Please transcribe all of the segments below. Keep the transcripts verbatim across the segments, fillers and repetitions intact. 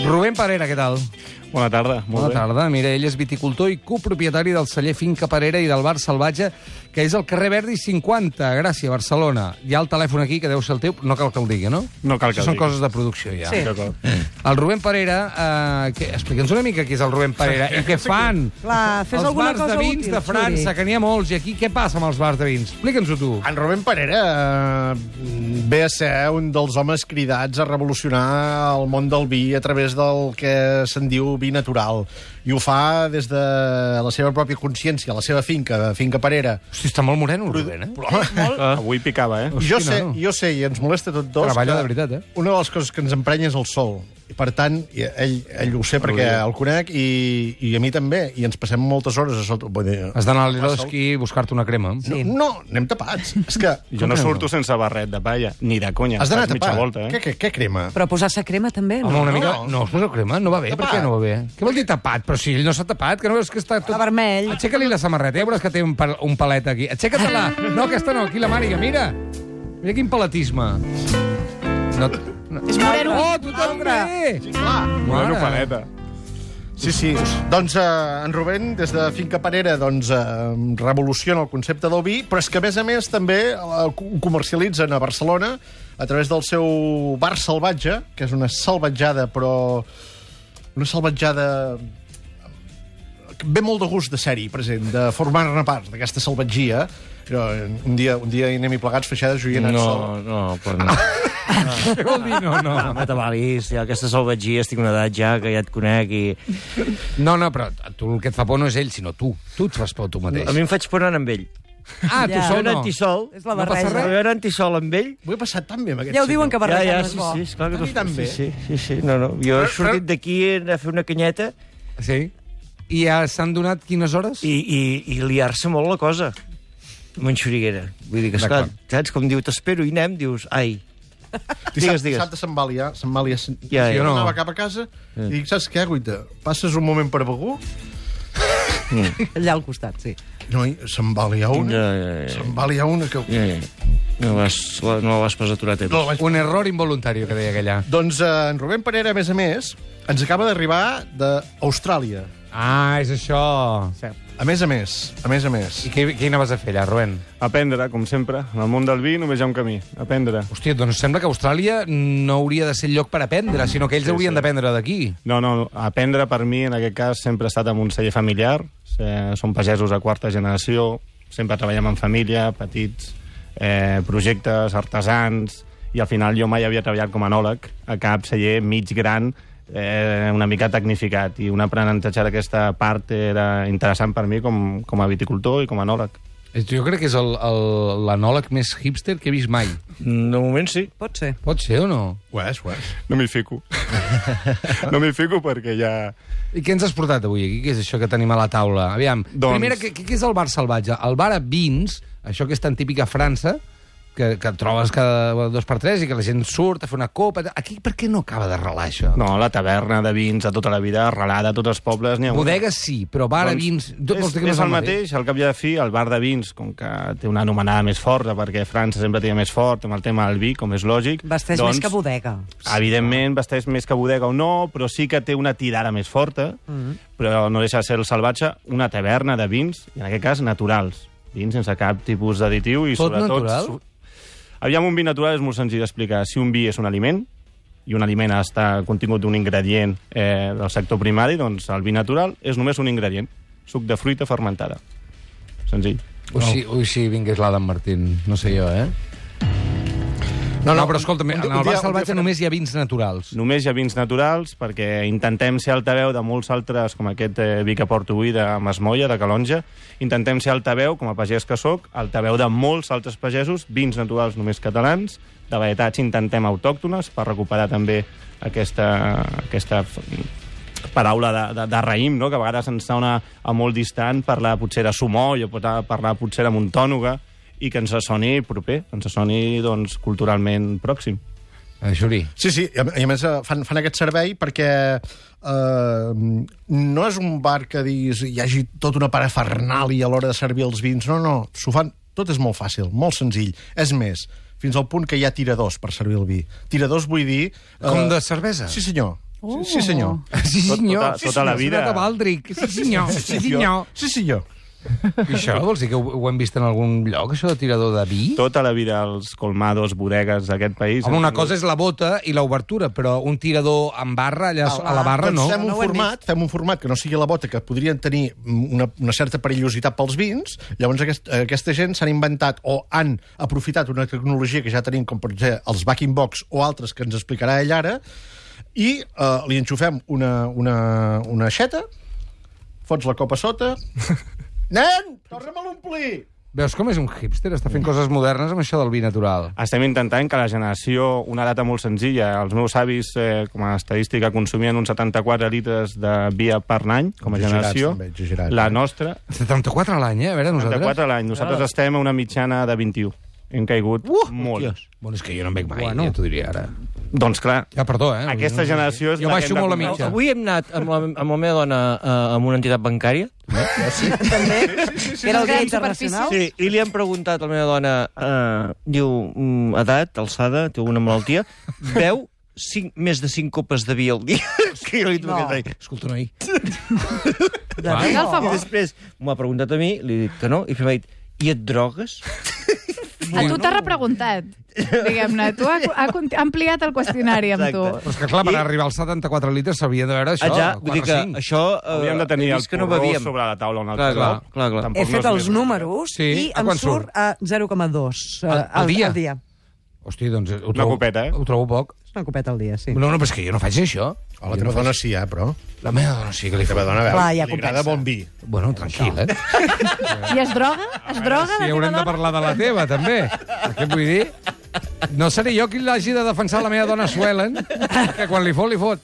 Rubén Parera, què tal? Bona tarda. Molt Bona bé. tarda. Mira, ell és viticultor i copropietari del celler Finca Parera i del bar Salvatge, que és al carrer Verdi cinquanta, Gràcia, Barcelona. Hi ha el telèfon aquí, que deu ser el teu, no cal que el digui, no? No cal que Això el són digui. coses de producció, ja. Sí. D'acord. El Rubén Parera, eh, que... explica'ns una mica qui és el Rubén Parera i què fan Clar, fes els alguna bars cosa de vins útil, de França, Xuri. que n'hi ha molts, i aquí què passa amb els bars de vins? Explica'ns-ho tu. En Rubén Parera eh, ve a ser un dels homes cridats a revolucionar el món del vi a través del que se'n diu vi natural. I ho fa des de la seva pròpia consciència, la seva finca, Finca Parera. Hosti, està molt moreno, el Rubén, eh? Però, home, Ah, avui picava, eh? jo, Hosti, sé, no. jo sé, i ens molesta a tots dos, Treballa que de veritat, eh? una de les coses que ens emprenya és el sol. I, per tant, i ell, ell ho sé perquè Rodrigo. el conec i, i a mi també. I ens passem moltes hores a sota... Vull dir, Has d'anar a l'Eroski a buscar-te una crema. Sí. No, no, anem tapats. És que... Jo no que no? surto sense barret de palla, ni de conya. Has d'anar Faig mitja tapat. volta, eh? Què, què, què crema? Però posar-se crema també, no? Home, una No. mica... No, us poseu crema? No va bé? Per Tapat. què no va bé? Què vol dir tapat? Però si ell no s'ha tapat, que no veus que està tot... Està vermell. Aixeca-li la samarreta, ja veuràs que té un, pal un palet aquí. Aixeca-te-la! No, aquesta no, aquí la màniga, mira! Mira quin paletisme. No, no. És moreno. Oh, tu també! Sí, clar. Bueno, Mare. paleta. Sí, sí. Doncs eh, en Rubén, des de Finca Parera, doncs, eh, revoluciona el concepte del vi, però és que, a més a més, també eh, ho comercialitzen a Barcelona a través del seu bar Salvatge, que és una salvatjada, però una salvatjada que ve molt de gust de ser-hi present, de formar-ne part d'aquesta salvatgia. Però un dia, un dia hi anem-hi plegats, feixades, jo hi he anat sol. No, no, però no. Què vol dir? No, no. No m'atabalis, ja aquesta salvatgia, estic una edat ja, que ja et conec i... No, no, però tu el que et fa por no és ell, sinó tu. Tu et fas por tu mateix. A mi em faig por anar amb ell. Ah, tu Ja. sol Jo no. no antisol. És la No passa barreja. res? Jo era antisol amb ell. Ho he passat tan bé amb aquest Ja ho diuen que senyor. Ja, barrejar ja, no és sí, bo. sí, esclar que A mi també. Sí, sí, sí, no, no. Jo he sortit d'aquí a fer una canyeta Sí? I ja s'han donat quines hores? i, i, i liar-se molt la cosa. Amb en Xuriguera. Vull dir que, esclar, D'acord. saps? Com diu, t'espero i anem, dius, ai. Dissabte, Digues, digues. dissabte se'n va liar, se'n va liar. Ja, ja. Jo no. anava cap a casa i dic, saps què, Guita? Passes un moment per begur? Allà al costat, sí. No, i se'n va liar una. Ja, ja, ja. Se'n va liar una que... Ja, ja. No vas, no la vas pas aturar a temps. No, la vaig... Un error involuntari, que deia aquella. Doncs eh, en Rubén Parera, a més a més, ens acaba d'arribar d'Austràlia. Ah, és això. A més a més, a més a més. I què, què anaves a fer allà, Rubén? Aprendre, com sempre. En el món del vi només hi ha un camí. Aprendre. Hòstia, doncs sembla que Austràlia no hauria de ser el lloc per aprendre, sinó que ells Sí, haurien sí. d'aprendre d'aquí. No, no, aprendre per mi, en aquest cas, sempre ha estat amb un celler familiar. Eh, Som pagesos de quarta generació, sempre treballem en família, petits eh, projectes, artesans, i al final jo mai havia treballat com a enòleg a cap celler mig gran, eh, una mica tecnificat, i un aprenentatge d'aquesta part era interessant per mi com, com a viticultor i com a enòleg. Jo crec que és el- el- l'anòleg més hipster que he vist mai. De moment sí. Pot ser. Pot ser o no? Ho és, ho és. No m'hi fico. No m'hi fico perquè ja... I què ens has portat avui aquí? Què és això que tenim a la taula? Aviam, Doncs- primera, què, què és el bar salvatge? El bar a vins, això que és tan típic a França, que, que et trobes cada dos per tres i que la gent surt a fer una copa... Aquí per què no acaba de relar això? No, la taverna de vins de tota la vida, arrelada a tots els pobles, n'hi ha una. Bodegues sí, però bar a vins... Tot és, vols dir que no és el mateix, al cap i a la fi, el bar de vins, com que té una anomenada més forta, perquè França sempre té més fort amb el tema del vi, com és lògic. Vesteix doncs, més que bodega. Evidentment, vesteix més que bodega o no, però sí que té una tirada més forta, Mm -hmm. però no deixa de ser el salvatge una taverna de vins, i en aquest cas naturals. Vins sense cap tipus d'additiu i Tot sobretot... natural? su- Aviam, un vi natural és molt senzill d'explicar. Si un vi és un aliment, i un aliment està contingut d'un ingredient eh, del sector primari, doncs el vi natural és només un ingredient. Suc de fruita fermentada. Senzill. Ui, si, ui, si vingués l'Adam Martín, no sé jo, eh? No, no, però escolta'm, en un dia- el un bar dia salvatge farem- només hi ha vins naturals. Només hi ha vins naturals perquè intentem ser altaveu de molts altres, com aquest eh, vi que porto avui de Masmoia, de Calonja. Intentem ser altaveu, com a pagès que sóc, altaveu de molts altres pagesos, vins naturals només catalans, de varietats intentem autòctones, per recuperar també aquesta, aquesta f- paraula de, de, de raïm, no? Que a vegades ens sona a molt distant parlar potser de sumoll o pot parlar potser de muntònoga, i que ens soni proper, ens soni doncs, culturalment pròxim. Eh, Xuri. Sí, sí, i a, i a més eh, fan, fan aquest servei perquè eh, no és un bar que diguis hi hagi tota una parafernàlia a l'hora de servir els vins, no, no, s'ho fan, tot és molt fàcil, molt senzill. És més, fins al punt que hi ha tiradors per servir el vi. Tiradors vull dir... Com de cervesa? Sí, senyor. Oh. Sí, senyor. Sí, senyor. Tota- tota la Sí, senyor, vida. s'ha anat a Baldric. Sí, senyor. Sí, senyor. Sí, senyor. I això vols dir que ho, ho hem vist en algun lloc, això de tirador de vi? Tota la vida als colmados, bodegues d'aquest país... Home, una hem cosa és la bota i l'obertura, però un tirador amb barra, allà a la barra, doncs no. Fem un, No ho hem format, fem un format que no sigui la bota, que podrien tenir una, una certa perillositat pels vins. Llavors aquest, aquesta gent s'han inventat o han aprofitat una tecnologia que ja tenim, com per exemple els backing box o altres que ens explicarà ell ara, i uh, li enxufem una, una, una aixeta, fots la copa sota... Nen, torna'm a l'omplir! Veus com és un hipster? Està fent coses modernes amb això del vi natural. Estem intentant que la generació, una data molt senzilla, els meus avis, eh, com a estadística, consumien uns setanta-quatre litres de vi per any, com a Exagerats, generació. també, exagerats, La eh? nostra, setanta-quatre a l'any, eh? A veure, nosaltres... setanta-quatre a l'any. Nosaltres estem a una mitjana de vint-i-u. Hem caigut uh, molt. Bueno, és que jo no em veig mai, Bueno. ja t'ho diria ara. Doncs clar, Ja, perdó, eh? aquesta generació és Jo la baixo que hem de molt la comprar. mitja. Avui hem anat amb la, amb la meva dona uh, amb una entitat bancària. També, que era el dia Gran internacional. Sí, i li hem preguntat a la meva dona, uh, diu, mm, edat, alçada, té alguna malaltia, veu cinc, més de cinc copes de vi al dia. Que jo li No. no. Escolta, noi. De Va. vi, Cal no. favor. I després m'ha preguntat a mi, li he dit que no, i m'ha dit, i et drogues? A tu t'ha repreguntat, diguem-ne. Tu ha, ha cont- ha ampliat el qüestionari amb tu. Exacte. Però és que, clar, per I- arribar als setanta-quatre litres s'havia de veure això, Ah, ja, vull dir quatre o que cinc. això... Uh, Hauríem de tenir he el vist que no porró bevíem. sobre la taula un altre Clar, clar, cop. clar, clar. Tampoc He no fet és els més números Sí, i a em quant surt a zero coma dos eh, Al- al dia? al dia. Hòstia, doncs ho Una trobo, copeta, eh? ho trobo poc. És una copeta al dia, sí. No, no, però és que jo no faig això. A la teva dona sí, eh, però... La meva dona sí que li La fa. teva dona, a Clar, veure, ja li agrada compensa. bon vi. Bueno, tranquil, eh? I es droga? Es droga, Sí, la haurem teva de dona? parlar de la teva, també. Què vull dir? No seré jo qui l'hagi de defensar la meva dona Suelen, que quan li fot, li fot.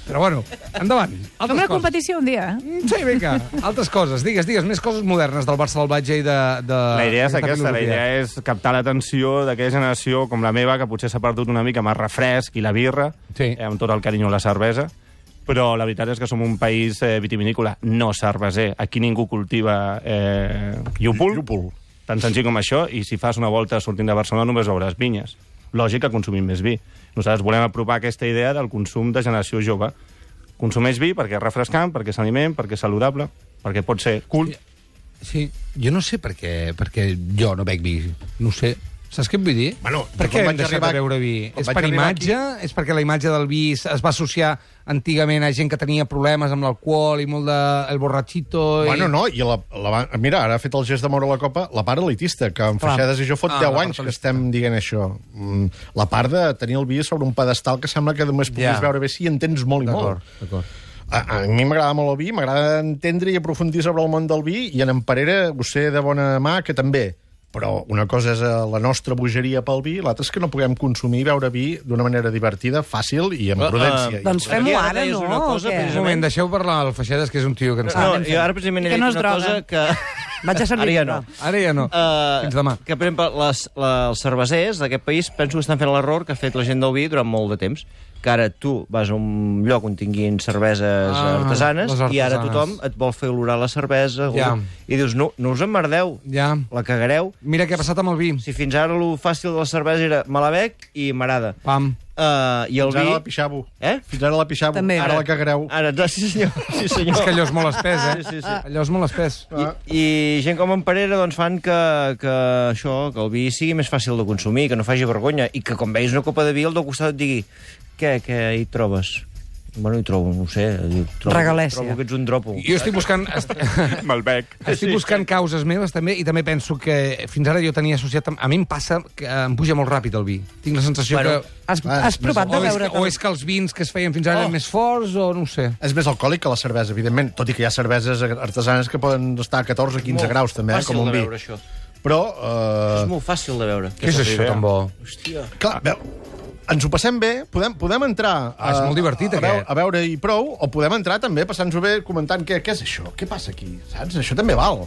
Però bueno, endavant. Fem Altres una coses. competició un dia. eh? Sí, vinga, altres coses. Digues, digues, més coses modernes del Bar Salvatge i de... de La idea és d'aquesta aquesta, la filosofia. idea és captar l'atenció d'aquella generació com la meva, que potser s'ha perdut una mica amb el refresc i la birra, Sí. eh, amb tot el carinyo a la cervesa, però la veritat és que som un país eh, vitivinícola, no cerveser. Aquí ningú cultiva eh, llúpol, Llúpol. tan senzill com això, i si fas una volta sortint de Barcelona només veuràs vinyes. Lògic que consumim més vi. Nosaltres volem apropar aquesta idea del consum de generació jove. Consumeix vi perquè és refrescant, perquè és aliment, perquè és saludable, perquè pot ser cool. Sí, jo no sé per què, perquè jo no bec vi. No ho sé. Saps què et vull dir? Bueno, per jo què quan hem vaig deixat arribar- de beure vi? quan És vaig per arribar imatge? És perquè la imatge del vi es es va associar antigament a gent que tenia problemes amb l'alcohol i molt de... el borrachito... I... Bueno, no, i la, la, va- mira, ara ha fet el gest de moure la copa la part elitista, que en Clar. Feixedes i jo fot Ah, deu la anys part que estem dient això. Mm, La part de tenir el vi sobre un pedestal que sembla que només puguis Ja. veure bé si entens molt i D'acord, molt. d'acord. A, a mi m'agrada molt el vi, m'agrada entendre i aprofundir sobre el món del vi, i en en Parera ho sé de bona mà, que també. Però una cosa és eh, la nostra bogeria pel vi, l'altra és que no puguem consumir i beure vi d'una manera divertida, fàcil i amb Uh, uh, prudència. Doncs fem-ho Aquí ara ara, deies no? una cosa, o què? Un moment, deixeu parlar al Feixedes, que és un tio que ens... No, jo ara precisament he Que dit no es una droga. cosa que... Vaig a servir. Ara ja no. Ara ja no. Uh, Fins demà. Que, per exemple, les, la, els cervesers d'aquest país penso que estan fent l'error que ha fet la gent del vi durant molt de temps, que ara tu vas a un lloc on tinguin cerveses Ah, artesanes, les i ara artesanes. tothom et vol fer olorar la cervesa, Ja. i dius, no, no us emmerdeu, Ja. la cagareu. Mira què ha passat amb el vi. Si fins ara lo fàcil de la cervesa era me la bec i m'agrada. Pam. Uh, I el Fins ara vi... la pixavo. Eh? Fins ara la pixavo. També. Ara la cagareu. Ara, sí senyor, sí senyor. És que allò és molt espès, eh? Sí, sí, sí. Allò és molt espès. I, I gent com en Parera doncs, fan que, que això, que el vi sigui més fàcil de consumir, que no faci vergonya, i que quan veus una copa de vi al teu costat et digui què, què hi trobes? Bueno, hi trobo, no ho sé. Trobo, Regalèssia. Trobo que ets un dropo. Jo estic buscant... est- Malbec. Estic buscant causes meves, també, i també penso que fins ara jo tenia associat... amb- A mi em passa que em puja molt ràpid el vi. Tinc la sensació Bueno, que... Has, Ah, has provat de O és, veure... que, o és que els vins que es feien fins ara eren més forts, o no ho sé. És més alcohòlic que la cervesa, evidentment, tot i que hi ha cerveses artesanes que poden estar a catorze o quinze graus, també, eh, com un de vi. veure, això. Però, És eh, molt fàcil de veure. Què és això tan bo? Hòstia. clar, veu, ens ho passem bé, podem, podem entrar Ah, és molt divertit, a, veure, aquest. a veure i prou, o podem entrar també passant-nos-ho bé comentant què, què és això, què passa aquí, saps? Això també val.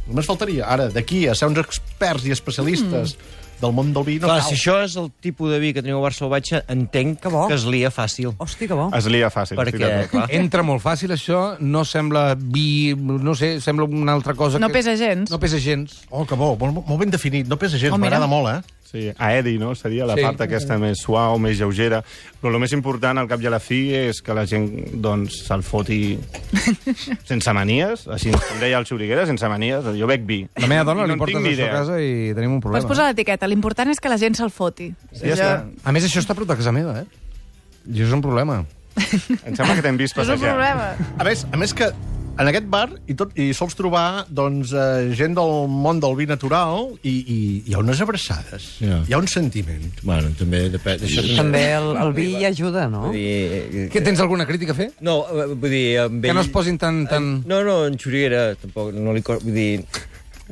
Només faltaria, ara, d'aquí a ser uns experts i especialistes mm. del món del vi, no Clar, cal. si això és el tipus de vi que teniu a Bar Salvatge, entenc Que bo. que es lia fàcil. Hosti, que bo. Es lia fàcil. estic Perquè, d'acord. clar, Entra molt fàcil, això. No sembla vi... No sé, sembla una altra cosa No que... pesa gens. No pesa gens. Oh, que bo, molt, molt ben definit, no pesa gens, Oh, mira. m'agrada molt, eh? Sí, aeri, no? Seria la Sí. part aquesta més suau, més lleugera. Però el més important, al cap i a la fi, és que la gent doncs, se'l foti sense manies. Així com deia el Xuriguera, sense manies. Jo bec vi. La meva dona I li en portes tinc ni això a idea. casa i tenim un problema. Pots posar l'etiqueta. L'important és que la gent se'l foti. Ja està. A més, això està a prop de casa meva, eh? I és un problema. Em sembla que t'hem vist És un passejar. problema. A més, a més que en aquest bar hi, tot, hi sols trobar doncs, eh, gent del món del vi natural i, i hi ha unes abraçades, Ja. hi ha un sentiment. Bueno, també depèn. Això També el, el vi hi ajuda, no? Vull dir, eh, Què, tens alguna crítica a fer? No, eh, vull dir... Amb Que ell... no es posin tan... tan... No, no, en Xuriguera tampoc no li... co- Vull dir...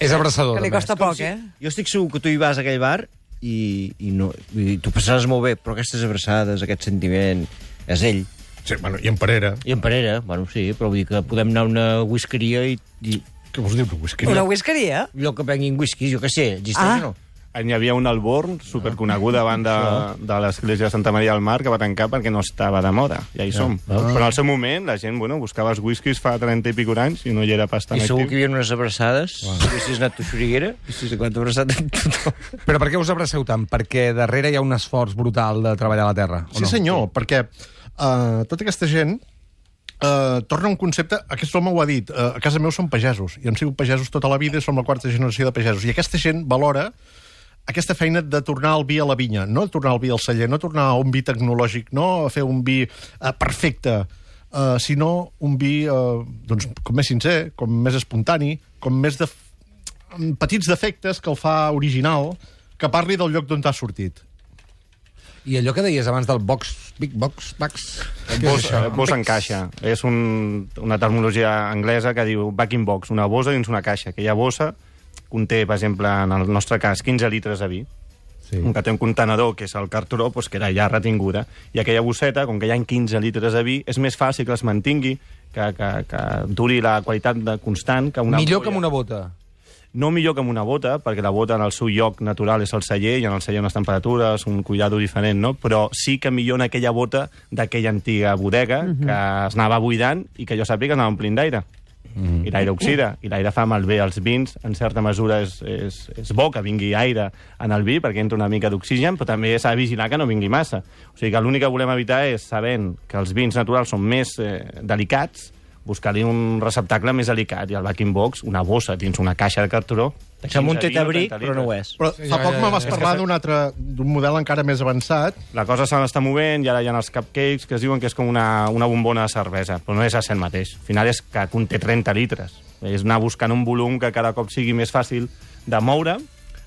És abraçador, Que li també. costa poc, eh? Jo estic segur que tu hi vas a aquell bar i, i no... Vull dir, tu passaràs molt bé, però aquestes abraçades, aquest sentiment, és ell. Sí, bueno, i en Parera. I en Parera, bueno, sí, però vull dir que podem anar a una whiskeria i... i Què vols dir, whisky? Una whiskeria? lloc que venguin whiskies, jo què sé, existeix Ah. o no? Hi havia un Alborn superconegut davant de, de l'església de Santa Maria del Mar que va tancar perquè no estava de moda. Ja hi som. Però al seu moment la gent bueno, buscava els whiskies fa trenta i pico d'anys i no hi era pas tan I segur actiu. que hi havia unes abraçades, i si has anat a Xuriguera, i si has abraçat amb tothom. Però per què us abraceu tant? Perquè darrere hi ha un esforç brutal de treballar la terra, o Sí, no? senyor, perquè uh, tota aquesta gent uh, torna a un concepte... Aquest home ho ha dit. Uh, a casa meu són pagesos, i hem sigut pagesos tota la vida i som la quarta generació de pagesos. I aquesta gent valora aquesta feina de tornar el vi a la vinya, no tornar el vi al celler, no tornar a un vi tecnològic, no a fer un vi uh, perfecte, uh, sinó un vi uh, doncs, com més sincer, com més espontani, com més de... amb petits defectes que el fa original, que parli del lloc d'on t'ha sortit. I allò que deies abans del box, big box, box... Què és Boss, això? eh, boss en caixa. És un, una terminologia anglesa que diu back in box, una bossa dins una caixa. Aquella bossa conté, per exemple, en el nostre cas, quinze litres de vi. Sí. Un que té un contenedor, que és el carturó, doncs, que era ja retinguda. I aquella bosseta, com que hi ha quinze litres de vi, és més fàcil que es mantingui, que, que, que duri la qualitat de constant que una Millor que ampolla. amb una bota. No millor que amb una bota, perquè la bota en el seu lloc natural és el celler, i en el celler unes temperatures, un cuidado diferent, no? Però sí que millor en aquella bota d'aquella antiga bodega uh -huh. que es anava buidant i que jo sàpiga anava omplint d'aire. Uh -huh. I l'aire oxida, i l'aire fa malbé els vins. En certa mesura és, és, és bo que vingui aire en el vi perquè entra una mica d'oxigen, però també s'ha de vigilar que no vingui massa. O sigui que l'únic que volem evitar és, sabent que els vins naturals són més eh, delicats, buscar-li un receptacle més delicat, i el back-in box, una bossa dins una caixa de carturó... de Sembla un quinze, vint o tetabric, trenta però no ho litres. és. Però Sí, fa ja, poc ja, me ja. vas parlar d'un altre, d'un model encara més avançat. La cosa se n'està movent, i ara hi ha els cupcakes que es diuen que és com una, una bombona de cervesa, però no és el mateix. Al final és que conté trenta litres. És anar buscant un volum que cada cop sigui més fàcil de moure,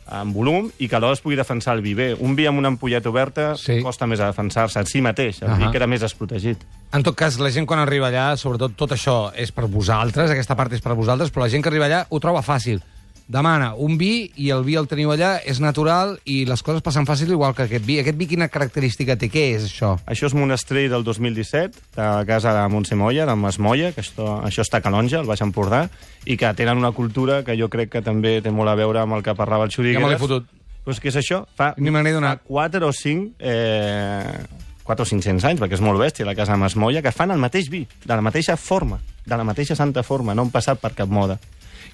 en volum, i que alhora es pugui defensar el vi bé. Un vi amb una ampolleta oberta Sí. costa més a defensar-se en si mateix. El vi Ahà. queda més desprotegit. En tot cas, la gent quan arriba allà, sobretot tot això és per vosaltres, aquesta part és per vosaltres, però la gent que arriba allà ho troba fàcil. Demana un vi i el vi el teniu allà, és natural i les coses passen fàcil igual que aquest vi. Aquest vi quina característica té? Què és això? Això és Monastrell del dos mil disset, de la casa de Montse Molla, de Masmolla, que això, això està a Calonja, al Baix Empordà, i que tenen una cultura que jo crec que també té molt a veure amb el que parlava el Xurigueras. Ja me l'he fotut. Pues què és això? Fa, Ni me n'he donat. fa quatre o cinc... Eh, quatre o cinc-cents anys, perquè és molt bèstia, la casa de Masmolla, que fan el mateix vi, de la mateixa forma, de la mateixa santa forma, no han passat per cap moda.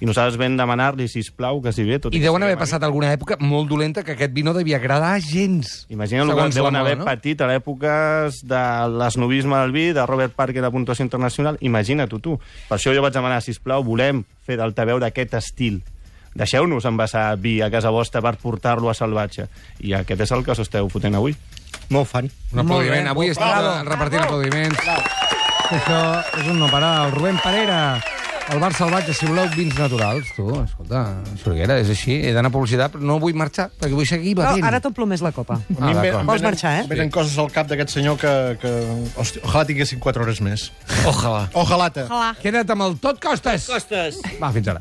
I nosaltres vam demanar-li, sisplau, que si bé... Tot I que deuen haver siguem passat alguna època molt dolenta que aquest vi no devia agradar gens. Imagina el que Segons deuen la haver moda, no? patit a l'època de l'esnovisme del vi, de Robert Parker de puntuació internacional. Imagina't-ho tu. Per això jo vaig demanar, sisplau, volem fer d'altaveu d'aquest estil. Deixeu-nos envasar vi a casa vostra per portar-lo a salvatge. I aquest és el que s'esteu fotent avui. Molt fan. Un aplaudiment. bé. Avui estem Bravo. repartint aplaudiments. Això és un no parar. El Rubén Parera, el bar salvatge, si voleu vins naturals. Tu, escolta, Xuriguera, és així. He d'anar a publicitat, però no vull marxar, perquè vull seguir No, bevent. ara t'omplo més la copa. A mi Ah, em ve- d'acord. em Vols venen- marxar, eh? em Venen coses al cap d'aquest senyor que... que hosti, ojalà tinguessin quatre hores més. Ojalà. Ojalà-te. Ojalà. Queda't amb el Tot Costes. Costes! Va, fins ara.